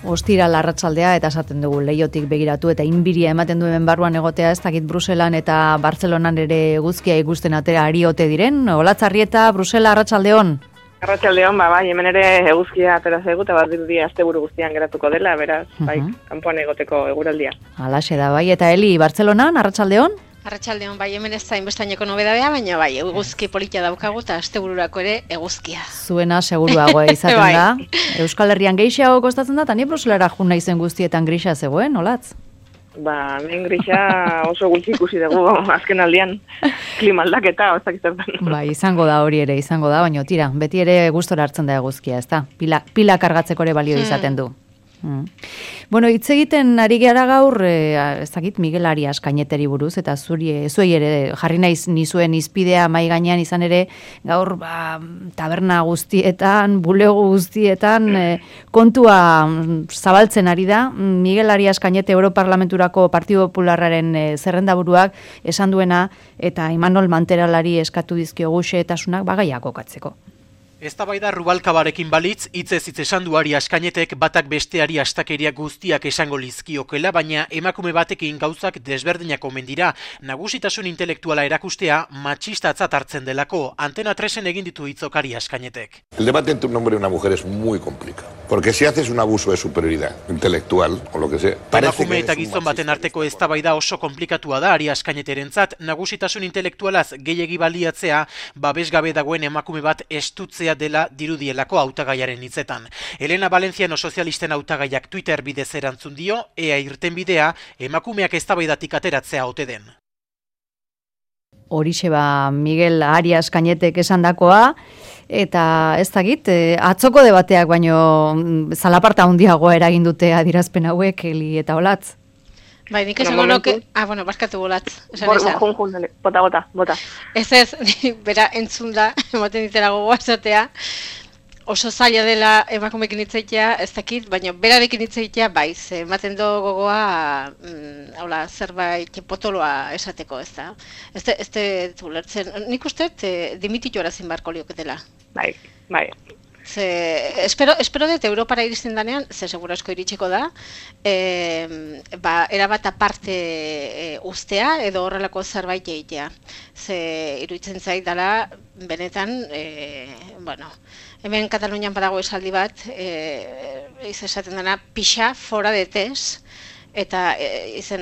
Ostiral arratsaldea eta esaten dugu leiotik begiratu eta inbiria ematen duen barruan egotea, ez dakit Bruselan eta Bartzelonan ere eguzkia ikusten atera ari ote diren. Olatzarrieta, Brusela, arratsaldeon. Arratsaldeon, bai, hemen ere eguzkia atera zaigu eta badirudi asteburu guztian geratuko dela, beraz, bai, kanpoan egoteko eguraldia. Halaxe da, bai, eta Eli, Bartzelonan, arratsaldeon? Arratsaldeon, bai, hemen ez da inbestaineko nobedadea, baina bai, eguzki polita daukagu eta astebururako ere eguzkia. Zuena seguruago izaten da. Euskal Herrian gehiago kostatzen da, eta ni Bruselara jun naizen guztietan grisa zegoen, olatz? Hemen grisa oso gutxi ikusi dugu azken aldian, klima aldaketa, ozak izertan. Bai, izango da hori ere, izango da, baina tira, beti ere gustora hartzen da eguzkia, ez da? Pila kargatzeko ere balio izaten du. Bueno, hitz egiten ari gara gaur, ez dakit Miguel Arias Cañeteri buruz, eta zuei ere jarri naiz nizuen izpidea mai gainean izan ere, gaur taberna guztietan, bulego guztietan, kontua zabaltzen ari da. Miguel Arias Cañete Europarlamenturako Partido Popularraren zerrendaburuak esan duena, eta Imanol Manteralari eskatu dizkiogu xehetasunak bagaiak kokatzeko. Eztabaida Rubalkabarekin balitz, hitzez hitz esan du Arias Cañetek batak besteari astakeria guztiak esango lizkiokela, baina emakume batekin gauzak desberdinak omen dira. Nagusitasun intelektuala erakustea matxistatzat hartzen delako. Antena 3en egin ditu hitzok Arias Cañetek. El debate entre un hombre y una mujer es muy complicado, porque si haces un abuso de superioridad intelectual o lo que sea, emakume eta gizon baten arteko eztabaida oso konplikatua da Arias Cañeterentzat. Nagusitasun intelektualaz gehiegi baliatzea, babesgabe dagoen emakume bat estutzea dela dirudielako hautagaiaren hitzetan. Elena Valenciano sozialisten hautagaiak Twitter bidez erantzun dio, ea irtenbidea emakumeak eztabaidatik ateratzea ote den. Horixe Miguel Arias Cañetek esandakoa, eta ez dakit, atzoko debateak baino zalaparta handiagoa eragin dute adierazpen hauek, Eli eta Olatz. Bai, nik esango noke... barkatu Olatz. Bota. Ez, bera entzun da, ematen ditela gogoa esatea, oso zaila dela emakumekin hitz-egitea, ez dakit, baina berarekin hitz-egitea bai, ematen do gogoa, zerbait potoloa esateko, ez da. Ez ulertzen, nik uste dimititu erazin barko lioketela. Bai. Espero dut Europara iristen danean, segura asko iritsiko da, erabat aparte ustea edo horrelako zerbait egitea. Iruditzen zait dela, benetan, hemen Katalunian badago esaldi bat, esaten dena, pixa fora de tes, eta esan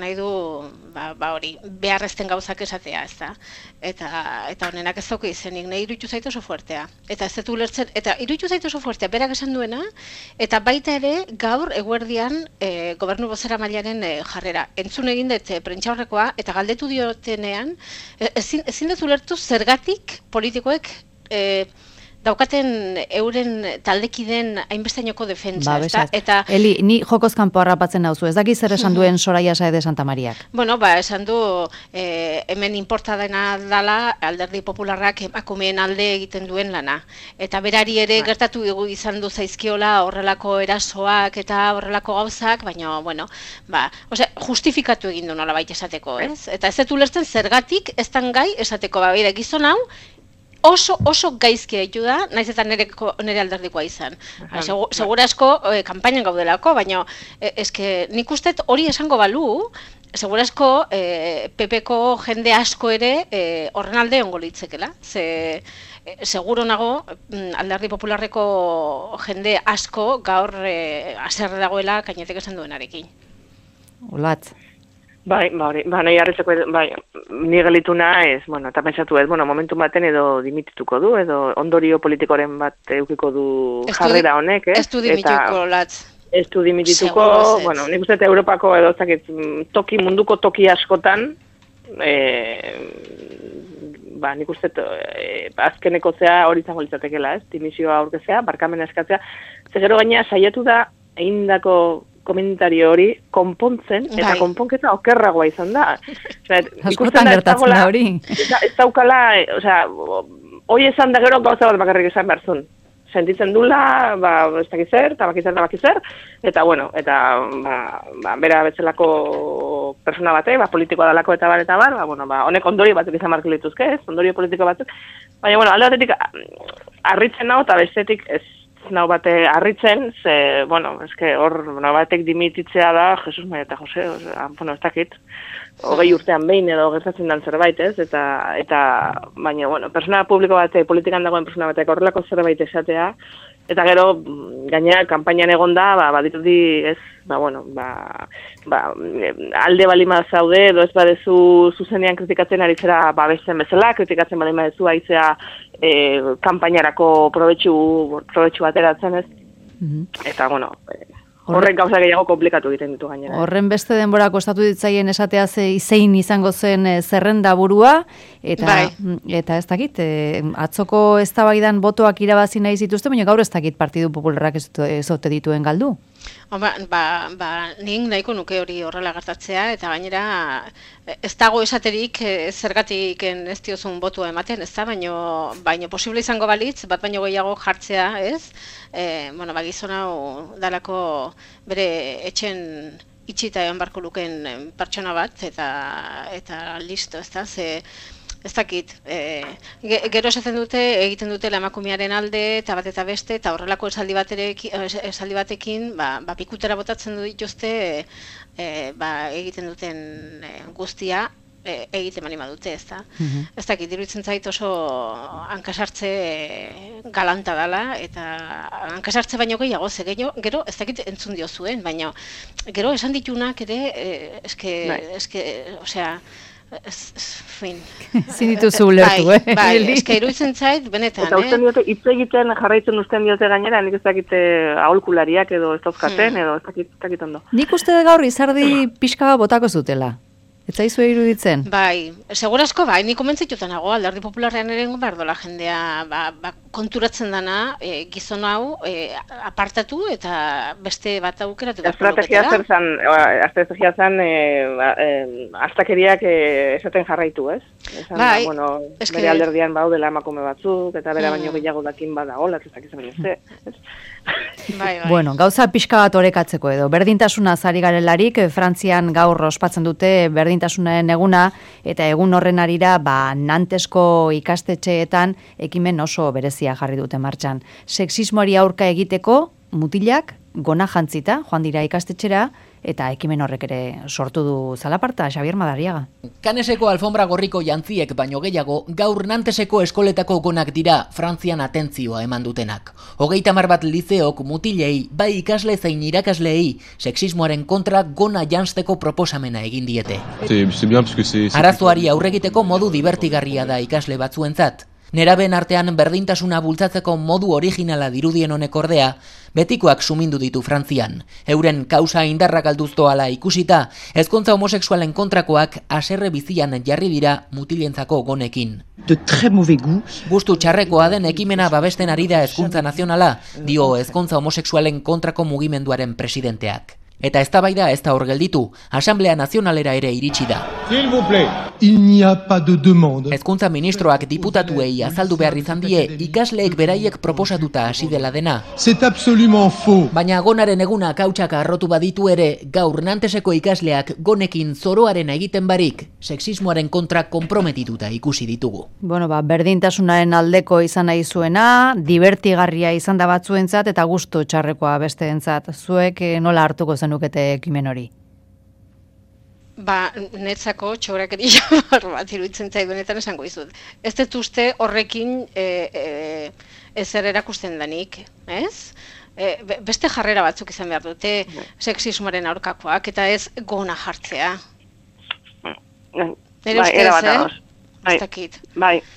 nahi du hori, beharrezten gauzak esatea, ez da. Eta honenak ez dauka izenik, nahi iruditu zaitu oso fuertea. Eta ez dut ulertzen, eta iruditu zaitu oso fuertea, berak esan duena, eta baita ere gaur eguerdian gobernu bozeramailearen jarrera. Entzun egin dut prentsaurrekoa, eta galdetu diotenean, ezin dut ulertu zergatik politikoek daukaten euren taldekiden hainbestainoko defentsa. Eta Eli, ni jokoz kanpo harrapatzen nauzu, ez daki zer esan duen Soraya Saez de Santamaríak? Esan du hemen inporta dena dela Alderdi Popularrak emakumeen alde egiten duen lana. Eta berari ere gertatu izan du zaizkiola horrelako erasoak eta horrelako gauzak, baina, justifikatu egin du nolabait esateko, ez? Eta ez dut ulertzen zergatik ez dan gai esateko, gizon hau, oso gaizki haitu da, naiz eta nire alderdikoa izan. Segura asko kanpainan gaudelako, baina nik uste hori esango balu, segura asko PP-ko jende asko ere horren alde ongo litzekela. Seguro nago Alderdi Popularreko jende asko gaur haserre dagoela Cañetek esan duenarekin. Olatz. Nahi harritzeko, ni gelitu naiz, eta pentsatu ez, momentu baten edo dimitituko du, edo ondorio politikoren bat eukiko du jarrera honek, ez du dimitituko, Olatz. Ez du dimitituko, nik uste Europako edo munduko toki askotan, nik uste azkeneko zea hori izango litzatekela, ez, dimisioa aurkezea, barkamena eskatzea, gero gaina saiatu da egindako komentario hori konpontzen, eta konponketa okerragoa izan da. Askotan gertatzen da hori. Ez daukala, hoi esan da gero gauza bat bakarrik esan behar zuen. Sentitzen dula, ez dakizer, eta bakizer, eta bera betzelako persona bate, politikoa dalako eta bar, honek ondorio batzuk izan marko lituzke, ondorio politiko batzuk. Baina, alde batetik, harritzen hau, eta bestetik ez nau bate harritzen, ze, bueno, eske hor nau batek dimititzea da, Jesus Maria eta Jose, bueno, ez dakit, 20 urtean behin edo gertatzen dan zerbait, ez? Eta baina, bueno, persona publiko bate, politikan dagoen persona batek horrelako zerbait esatea, eta gero, gainera, kanpainan egonda, badirudi ez, alde balima zaude, edo ez badezu zuzenean kritikatzen ari zera babesten bezala, kritikatzen balima dezu aizea kanpainarako probetxu ateratzen ez. Eta, bueno, horrek gauza gehiago komplikatu egiten ditu gainera. Horren beste denbora kostatu ditzaien esatea zein izango zen zerrenda burua, eta ez dakit, atzoko eztabaidan botoak irabazi nahi zituzten, baina gaur ez dakit Partidu Popularrak ez ote dituen galdu. Nik nahiko nuke hori horrela gertatzea, eta gainera ez dago esaterik zergatik ez diozun botua ematen, ez da, baino posible izango balitz, bat baino gehiago jartzea, ez? Gizon hau dalako bere etxen itxita egon barko luken pertsona bat, eta listo, ez da, ez dakit, gero esaten dute, egiten dute emakumearen alde, eta bat eta beste, eta horrelako esaldi batekin, pikutera botatzen du dituzte, egiten duten guztia, egiten manima dute, ez da. Ez dakit, iruditzen zait oso hankasartze galanta dela, eta hankasartze baino gehiago, gero ez dakit entzun dio zuen, baina gero esan ditunak ere, osea, fin. Zin dituzu ulertu, eske iruditzen zait, benetan, Eta usten diote, hitz egiten jarraitzen usten diote gainera, nik ez dakite aholkulariak edo ez dauzkaten, edo ez dakit ondo. Nik uste gaur izardi pixka botako zutela. Ez zaizu iruditzen? Bai, segurazko nik komentzituta nago, Alderdi Popularrean ere behar dola jendea konturatzen dana, gizon hau apartatu eta beste bat aukeratu. Estrategia zen astakeriak esaten jarraitu, ez? Bai, bere alderdian baudela emakume batzuk, eta bera baino gehiago dakin badagola, ez dakiz baino ze. Bueno, gauza pixka bat orekatzeko edo, berdintasuna ari garelarik, Frantzian gaur ospatzen dute berdintasunaren eguna, eta egun horren arira, Nantesko ikastetxeetan ekimen oso berezia jarri dute martxan. Sexismoari aurka egiteko, mutilak, gona jantzita, joan dira ikastetxera, eta ekimen horrek ere sortu du zalaparta, Xabier Madariaga. Kaneseko alfombra gorriko jantziek baino gehiago, gaur Nanteseko eskoletako gonak dira Frantzian atentzioa eman dutenak. 30 bat lizeok mutilei, bai ikasle zein irakasleei, sexismoaren kontra gona janzteko proposamena egin diete. Arazoari aurregiteko modu divertigarria da ikasle batzuentzat. Neraben artean berdintasuna bultzatzeko modu originala dirudien honek ordea, betikoak sumindu ditu Frantzian. Euren kausa indarrak alduztoala ikusita, ezkontza homosexualen kontrakoak haserre bizian jarri dira mutilentzako gonekin. Gustu txarrekoa den ekimena babesten ari da Hezkuntza Nazionala, dio ezkontza homosexualen kontrako mugimenduaren presidenteak. Eta eztabaida ez da hor gelditu, Asamblea Nazionalera ere iritsi da. Hezkuntza ministroak diputatuei azaldu behar izan die ikasleek beraiek proposatuta hasi dela dena. Baina gonaren eguna kautxak arrotu baditu ere, gaur Nanteseko ikasleak gonekin zoroaren egiten barik, sexismoaren kontra konprometituta ikusi ditugu. Berdintasunaren aldeko izan nahi zuena, divertigarria izan da batzuentzat eta gustu txarrekoa besteentzat. Zuek nola hartuko zenukete ekimen hori? Netzako txorakeria bat iruditzen zait benetan esango dizut. Ez dut uste horrekin ezer erakusten danik, ez? Beste jarrera batzuk izan behar dute sexismoaren aurkakoak eta ez gona jartzea.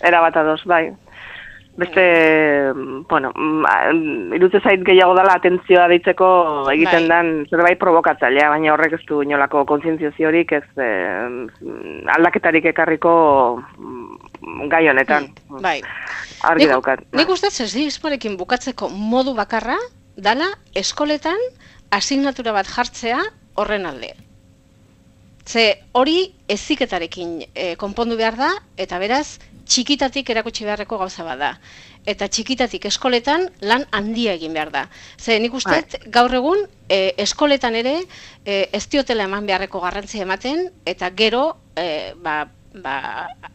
Erabat ados, bai. Beste, iruditzen zait gehiago dela atentzioa deitzeko egiten den zerbait provokatzailea, baina horrek ez du inolako kontzientziaziorik ez aldaketarik ekarriko gai honetan. Argi daukat. Nik uste sexismoarekin bukatzeko modu bakarra dala eskoletan asignatura bat jartzea horren alde. Ze hori heziketarekin konpondu behar da, eta beraz, txikitatik erakutsi beharreko gauza bada. Eta txikitatik eskoletan lan handia egin behar da. Ze nik uste gaur egun eskoletan ere ez diotela eman beharreko garrantzia ematen, eta gero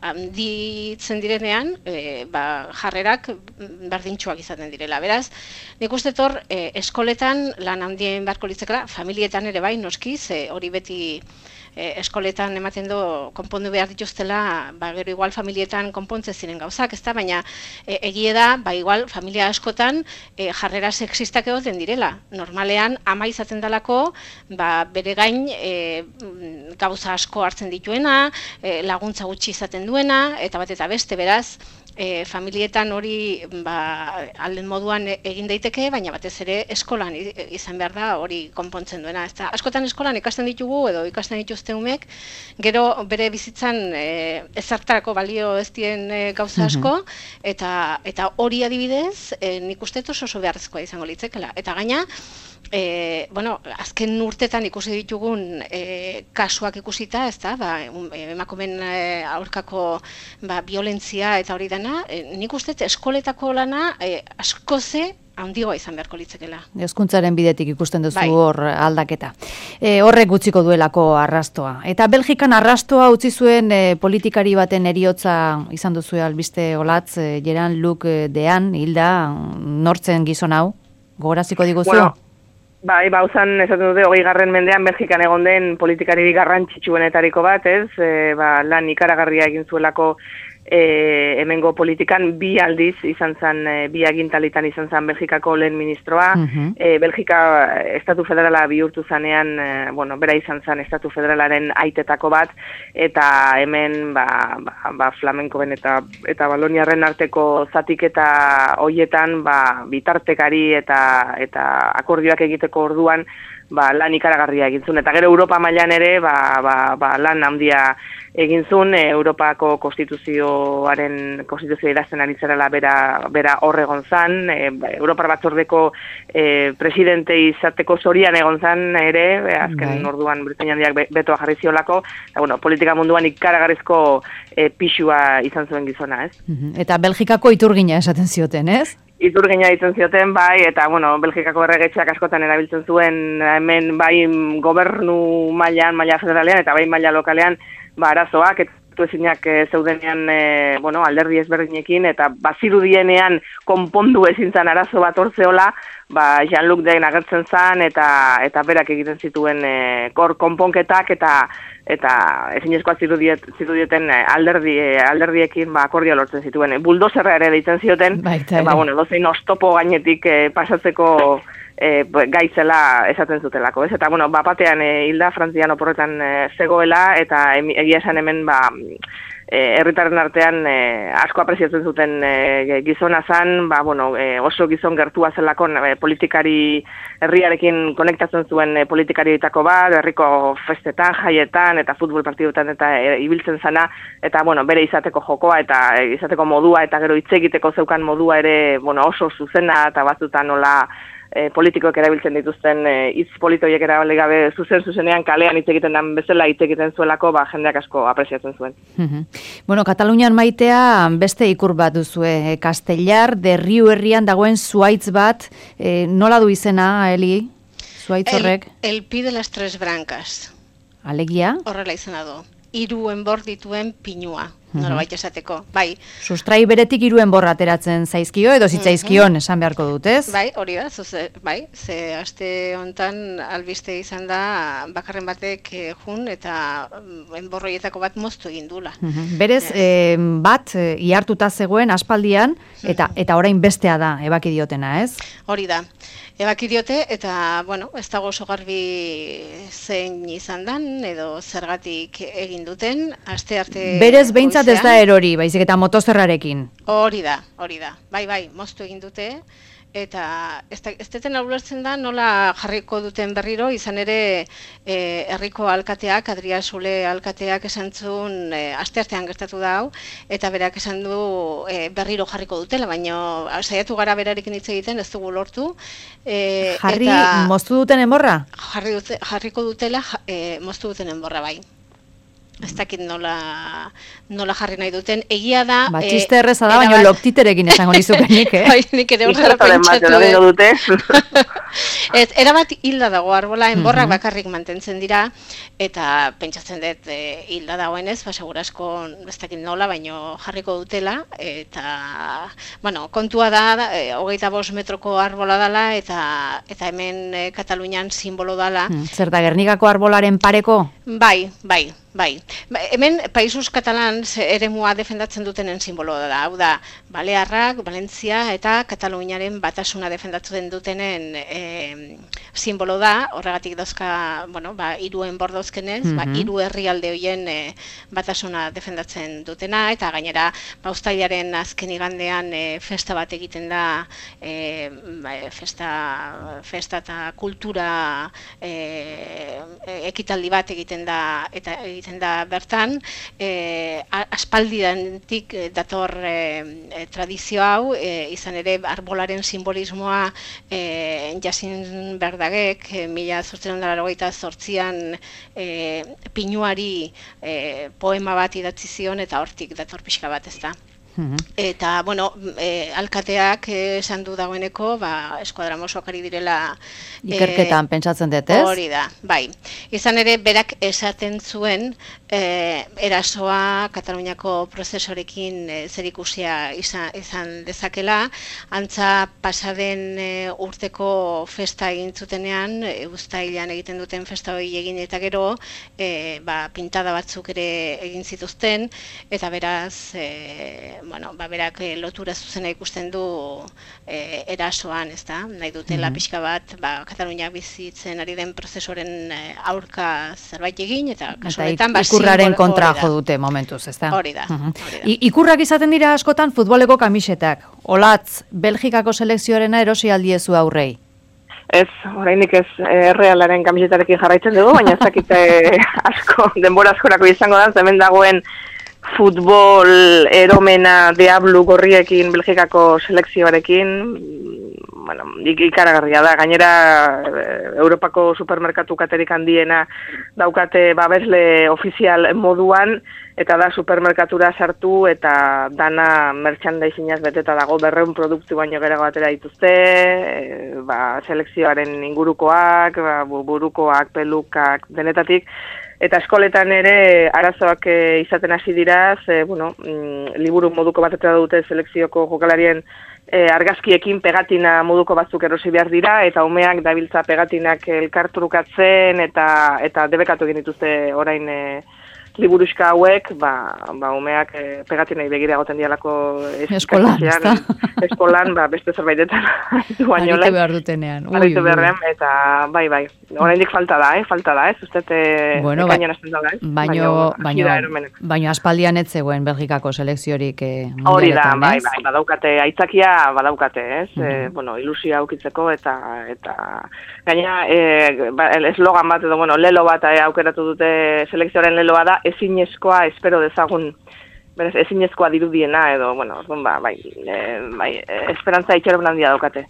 handitzen direnean, jarrerak berdintsuak izaten direla. Beraz, nik uste eskoletan lan handien beharko litzakela, familietan ere bai, noski, hori beti eskoletan ematen du konpondu behar dituztela, gero igual familietan konpontzen ziren gauzak, ez da, baina egie da, igual familia askotan jarrera sexistak egoten direla. Normalean, ama izaten dalako, bere gain gauza asko hartzen dituena, laguntza gutxi izaten duena, eta bat eta beste, beraz, familietan hori alden moduan egin daiteke, baina batez ere eskolan izan behar da hori konpontzen duena. Askotan eskolan ikasten ditugu edo ikasten dituzte umek, gero bere bizitzan ezertarako balio ez dien gauza asko, eta hori adibidez nik uste oso beharrezkoa izango litzekela. Eta gaina, azken urtetan ikusi ditugun kasuak ikusita, ez da, emakumeen aurkako violentzia eta hori dena, nik uste eskoletako lana askoze handigoa izan beharko litzekela. Hezkuntzaren bidetik ikusten duzu hor aldaketa. Horrek gutziko duelako arrastoa. Eta Belgikan arrastoa utzi zuen politikari baten heriotza izan duzu albiste olatz, Jean-Luc Dehaene, hilda, nortzen gizon hau? Gogoraziko diguzu? Uzan, esaten dute, 20. mendean Belgikan egon den politikari garrantzitsuenetariko bat, ez? Lan ikaragarria egin zuelako hemengo politikan bi aldiz izan zen, bi agintalitan izan zen Belgikako lehen ministroa. Belgika estatu federala bihurtu zanean, bera izan zen estatu federalaren aitetako bat, eta hemen flamenkoen eta baloniarren arteko zatiketa hoietan bitartekari eta akordioak egiteko orduan lan ikaragarria egin zuen. Eta gero Europa mailan ere lan handia egin zuen, Europako konstituzioa idazten ari zerela bera hor egon zan, Europar batzordeko presidente izateko zorian egon zan ere, azken orduan Britainia Handiak betoa jarri ziolako, politika munduan ikaragarrizko pixua izan zuen gizona, ez? Eta Belgikako iturgina esaten zioten, ez? Iturgina ditzen zioten, eta, Belgikako erregetxeak askotan erabiltzen zuen, hemen, gobernu maila federalean, eta maila lokalean, arazoak, eta ezinak zeudenean, alderdi ezberdinekin, eta bazirudienean konpondu ezin zan arazo bat ortzeola, Jean-Luc Dehaene agertzen zan, eta berak egiten zituen konponketak, eta ezinezkoa zirudieten alderdiekin akordio lortzen zituen. Buldozerra ere deitzen zioten, dozein oztopo gainetik pasatzeko gaitzela esaten zutelako, ez? Eta, batean hilda Frantzian oporretan zegoela, eta egia esan hemen, herritarren artean asko apreziatzen zuten gizona zan, oso gizon gertua zelako politikari herriarekin konektatzen zuen politikarietako bat, herriko festetan, jaietan eta futbol partiduetan eta ibiltzen zana, eta bere izateko jokoa eta izateko modua eta gero hitz egiteko zeukan modua ere oso zuzena eta batzutan nola politikoek erabiltzen dituzten hitz politoiek erabili gabe zuzenean kalean hitz egiten den bezala hitz egiten zuelako jendeak asko apreziatzen zuen. Katalunian maitea beste ikur bat duzue, Castellar de Riu herrian dagoen zuhaitz bat, nola du izena, Eli? Zuhaitz horrek? El Pi de las Tres Brancas. Alegia? Horrela izena du. 3 enbor dituen pinua. Norbait esateko, bai. Sustrai beretik 3 enbor ateratzen zaizkio edo zitzaizkion esan beharko dut, ez? Bai, hori da, ze aste hontan albiste izan da bakarren batek jun eta enborroietako bat moztu egin dula. Berez, bat ihartuta zegoen aspaldian eta orain bestea da ebaki diotena, ez? Hori da. Ebaki diote eta, ez dago oso garbi zein izan dan edo zergatik egin duten, aste arte... Berez behintzat ez da erori, baizik eta motozerrarekin. Hori da. Bai, moztu egin dute, eta ez deten ulertzen da nola jarriko duten berriro, izan ere herriko alkateak, Adria Sule alkateak esan zuen, asteartean gertatu da hau, eta berak esan du berriro jarriko dutela, baina saiatu gara berarekin hitz egiten, ez dugu lortu. Moztu duten enborra? Jarriko dutela, moztu duten enborra, bai. Ez dakit nola jarri nahi duten. Egia da... Txiste erreza da, baina loktiterekin esango nizukenik, Bai, nik ere horrela pentsatu. Erabat hilda dago arbola, enborrak bakarrik mantentzen dira, eta pentsatzen dut hilda dagoenez, segurasko ez dakit nola, baino jarriko dutela, eta, bueno, kontua da, 25 metroko arbola dela, eta hemen Katalunian simbolo dela. Zer da, Gernikako arbolaren pareko? Bai. Hemen Països Catalans eremua defendatzen dutenen simboloa da. Hau da, Balearrak, Valentzia eta Kataluniaren batasuna defendatzen dutenen simbolo da. Horregatik dauzka, hiru enbor dauzkenez, hiru herrialde horien batasuna defendatzen dutena, eta gainera, uztailaren azken igandean festa bat egiten da, festa eta kultura ekitaldi bat egiten da bertan, aspaldidantik dator tradizio hau, izan ere arbolaren simbolismoa Jasin Berdagek 1888an pinuari poema bat idatzi zion, eta hortik dator pixka bat, ez da. Eta, alkateak esan du dagoeneko, eskuadra mosoak ari direla... Ikerketan pentsatzen dut, ez? Hori da, bai. Izan ere, berak esaten zuen, erasoa Kataluniako prozesorekin zerikusia izan dezakela, antza pasaden urteko festa egin zutenean, uztailean egiten duten festa hori egin eta gero, pintada batzuk ere egin zituzten, eta beraz, berak lotura zuzena ikusten du erasoan, ez da? Nahi dutela pixka bat, Katalunia bizitzen ari den prozesoren aurka zerbait egin, eta kasu honetan, ikurraren kontra jo dute momentuz, ez da? Hori da. Ikurrak izaten dira askotan futboleko kamisetak. Olatz, Belgikako selekzioarena erosi aldiezu aurrei? Ez, orainik ez, Realaren kamisetarekin jarraitzen dugu, baina ez dakite asko, denbora askorako izango da, hemen dagoen futbol eromena Diablu gorriekin Belgikako selekzioarekin, ikaragarria da. Gainera, Europako supermerkatu katerik handiena daukate babesle ofizial moduan, eta da supermerkatura sartu eta dana merchandisinaz beteta dago, 200 produktu baino gerago atera dituzte, selekzioaren ingurukoak, burukoak, pelukak, denetatik. Eta eskoletan ere arazoak izaten hasi dira, liburu moduko bat atera dute selekzioko jokalarien argazkiekin pegatina moduko batzuk erosi behar dira, eta umeak dabiltza pegatinak elkartrukatzen eta debekatu egin dituzte orain liburuxka hauek, umeak pegatinei begira egoten dialako eskolan, beste zerbaitetan aritu behar dutenean. Aritu beharren, eta bai, oraindik falta da, ez? Uztet, ekainan esten da, baina aspaldian ez zegoen Belgikako selekziorik hori da, bai, badaukate, aitzakia badaukate, ez? Ilusia aukitzeko, eta gaina, eslogan bat, lelo bat aukeratu dute selekzioaren leloa da, ezinezkoa espero dezagun, berez, ezinezkoa dirudiena, edo, esperantza itxaron handia daukate.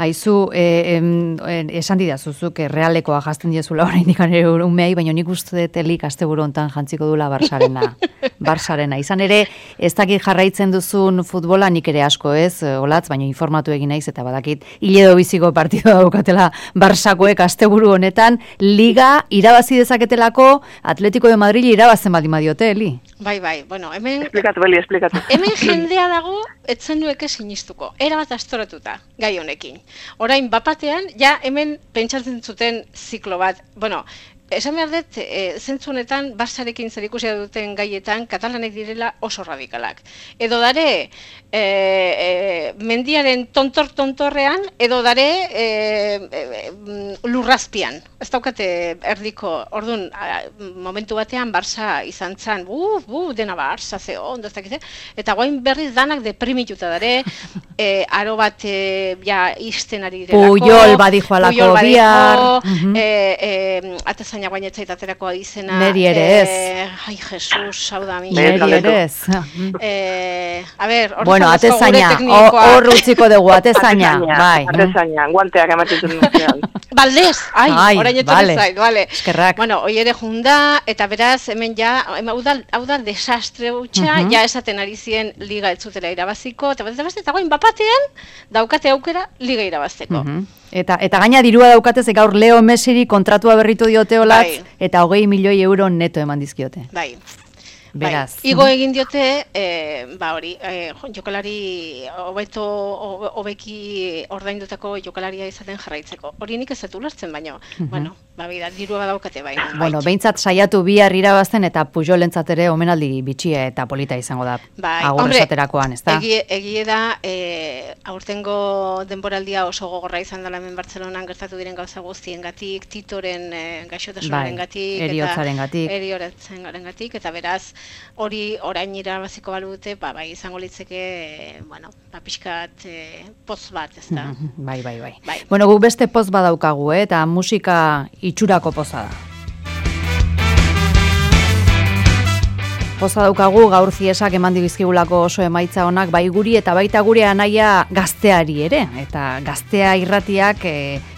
Aizu, esan didazuzuk, Realekoa jazten diezula orain dikan ere umei, baina nik uste dut elik asteburu hontan jantziko dula Barsarena. Izan ere, ez dakit jarraitzen duzun futbola nik ere asko ez, Olatz, baina informatu egin naiz, eta badakit, hiledo biziko partidua daukatela Barsakoek asteburu honetan, liga irabazi dezaketelako Atletico de Madrid irabazen baldin badiote, Eli? Bai, hemen... Esplikatu. Hemen jendea dago, etzen dueke sinistuko. Erabat astoratuta, gai honekin. Orain, bapatean, hemen pentsatzen zuten ziklo bat. Esan behar dut, zentzu honetan, Barsarekin zerikusia duten gaietan, katalanek direla oso radikalak. Edo dare, mendiaren tontorrean, edo dare, lurrazpian. Ez daukate erdiko, orduan, momentu batean, Barsa izan zan, dena Barsa, ondo ez dakite, eta guain berriz danak deprimituta dare, aro bat, isten ari direlako, Puyol badijo alako bihar, atazain baina guainetzait aterako izena. Neri ere ez. Ai, Jesus, hau da, Neri ere ez. A ber, bueno, atezaina, hor utziko dugu, atezaina. Bai. Atezaina, guanteak ematen duen. Baldez, orain etorri zait, bale. Eskerrak. Bueno, hoi ere junda, eta beraz, hemen ja, hau da desastre hutsa, ja esaten ari ziren liga ez zutela irabaziko, eta guain bapatean daukate aukera liga irabazteko. Eta gaina dirua daukatez, gaur Leo Messiri kontratua berritu diote olatz, eta 20 milioi euro neto eman dizkiote. Bai. Beraz. Igo egin diote, hori, jokalari hobeki ordaindutako jokalaria izaten jarraitzeko. Hori nik ez dut ulertzen baino. Bueno, dirua daukate bai. Bueno, behintzat saiatu bihar irabazten eta Pujolentzat ere omenaldi bitxia eta polita izango da. Agur esaterakoan, ez da? Egie da, aurtengo denboraldia oso gogorra izan dela hemen Bartzelonan gertatu diren gauza guztiengatik, Titoren gaixotasunarengatik, eriotzarengatik, eta beraz, hori orain irabaziko balute, bai, izango litzeke, bueno, pixkat poz bat, ez da? Bai. Bueno, guk beste poz badaukagu, eta musika itxurako poza da. Poza daukagu gaur ziesak eman dibizkigulako oso emaitza honak, bai guri eta baita gure anaia gazteari ere. Eta gaztea irratiak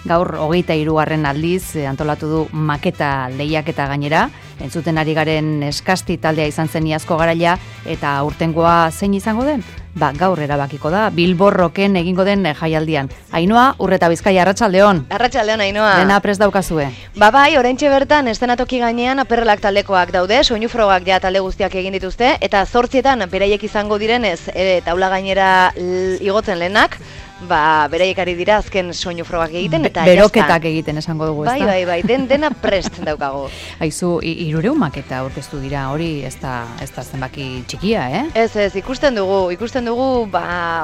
gaur 23. aldiz antolatu du maketa lehiaketa gainera. Entzuten ari garen eskasti taldea izan zen iazko garaia, eta aurtengoa zein izango den? Gaur erabakiko da, Bilborroken egingo den jaialdian. Ainhoa, Urreta Bizkaia, arratsaldeon. Arratsaldeon, Ainhoa. Dena prest daukazue. Bai, oraintxe bertan eszenatoki gainean Aperrelak taldekoak daude, soinufrogak ja talde guztiak egin dituzte, eta 8etan beraiek izango direnez, taula gainera igotzen lehenak, beraiek ari dira azken soinufrogak egiten, eta beroketak egiten esango dugu, ez da? Bai, dena prest daukago. Aizu, 300 maketa aurkeztu dira, hori ez da zenbaki txikia, Ez, ikusten dugu,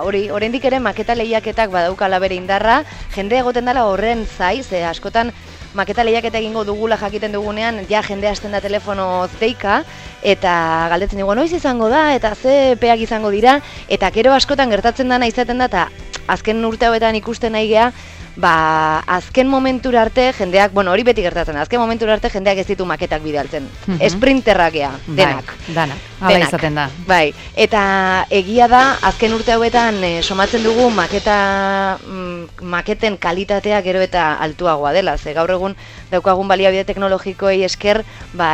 hori, oraindik ere maketa lehiaketak badaukala bere indarra, jende egoten dela horren zaiz, askotan maketa lehiaketa egingo dugula jakiten dugunean, ja jende hasten da telefono zeika, eta galdetzen dugu, noiz izango da, eta ze peak izango dira, eta gero askotan gertatzen dana izaten da, eta azken urte hauetan ikusten nahi geha, azken momentura arte jendeak, hori beti gertatzen da, azken momentura arte jendeak ez ditu maketak bidaltzen. Esprinterrak geha, denak. Danak, hala izaten da. Bai, eta egia da, azken urte hauetan somatzen dugu maketen kalitatea gero eta altuagoa dela. Ze gaur egun daukagun baliabide teknologikoei esker,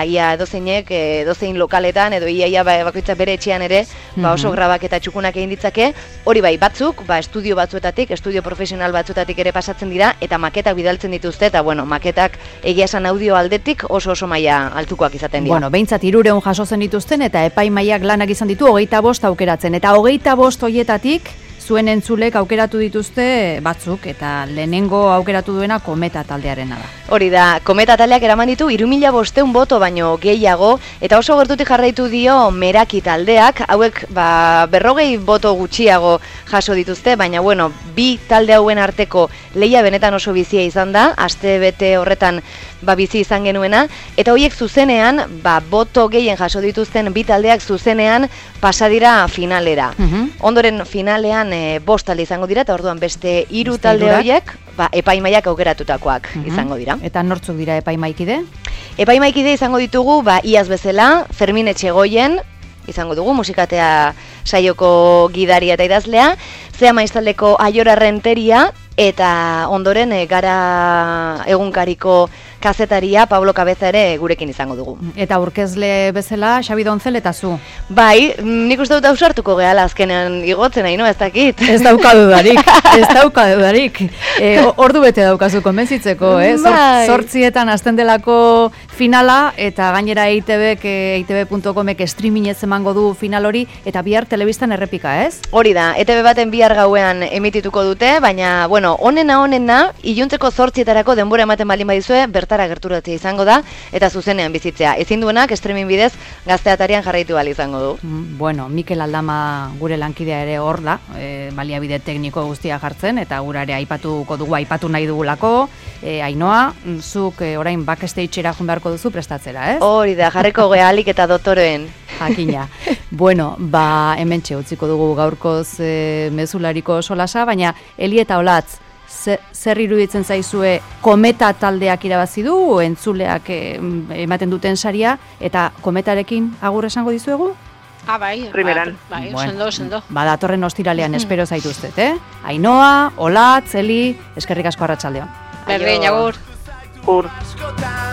ia edozein lokaletan, edo ia bakoitza bere etxean ere, oso grabak eta txukunak egin ditzake, hori bai, batzuk, estudio batzuetatik, estudio profesional batzuetatik ere pasatzen dira, eta maketak bidaltzen dituzte, eta maketak egia esan audio aldetik oso maila altukoak izaten dira. Bueno, behintzat 300 jaso zen dituzten, eta epaimaiak lanak izan ditu 25 aukeratzen, eta 25 hoietatik, zuen entzulek aukeratu dituzte batzuk, eta lehenengo aukeratu duena Kometa taldearena da. Hori da, Kometa taldeak eraman ditu 3500 boto baino gehiago, eta oso gertutik jarraitu dio Meraki taldeak, hauek 40 boto gutxiago jaso dituzte, baina bi talde hauen arteko lehia benetan oso bizia izan da, aste bete horretan bizi izan genuena, eta horiek zuzenean, boto gehien jaso dituzten bi taldeak zuzenean pasadira finalera. Ondoren finalean 5 talde izango dira, eta orduan beste 3 talde horiek epaimaiak aukeratutakoak izango dira. Eta nortzuk dira epaimaikide? Epaimaikide izango ditugu, iaz bezala, Fermin Etxegoien, izango dugu, musikatea saioko gidaria eta idazlea, Zea Maiztaldeko Aiora Renteria, eta ondoren Gara egunkariko kazetaria Pablo Cabeza ere gurekin izango dugu. Eta aurkezle bezala Xabi Dontzel eta zu. Bai, nik uste dut ausartuko gehala azkenean igotzen nahi, ez dakit. Ez daukadudarik. Ordu bete daukazu konbentzitzeko, Bai. 8etan hasten delako finala, eta gainera eitb.comek streamingez emango du final hori, eta bihar telebistan errepika, ez? Hori da, ETB baten bihar gauean emitituko dute, baina, onena, iluntzeko 8etarako denbora ematen baldin badizue, bertara gerturatzea izango da, eta zuzenean bizitzea. Ezin duenak, streaming bidez, Gazteatarian jarraitu ahal izango du. Bueno, Mikel Aldama gure lankidea ere hor da, baliabide tekniko guztia jartzen, eta gura ere aipatu nahi dugulako. Ainhoa, zuk orain backstage-era joan beharko duzu prestatzera, ez? Hori da, jarreko gealik eta dotoreen. Jakina. Bueno, hementxe utziko dugu gaurkoz mezulariko solasa, baina Eli eta Olatz, zer iruditzen zaizue kometa taldeak irabazi du, entzuleak ematen duten saria, eta kometarekin agur esango dizuegu? Bai, primeran. Bai, Bueno, sendo. datorren ostiralean espero zaituztet, Ainhoa, Olatz, Eli, eskerrik asko arratsaldeon. Berdin, agur. Agur.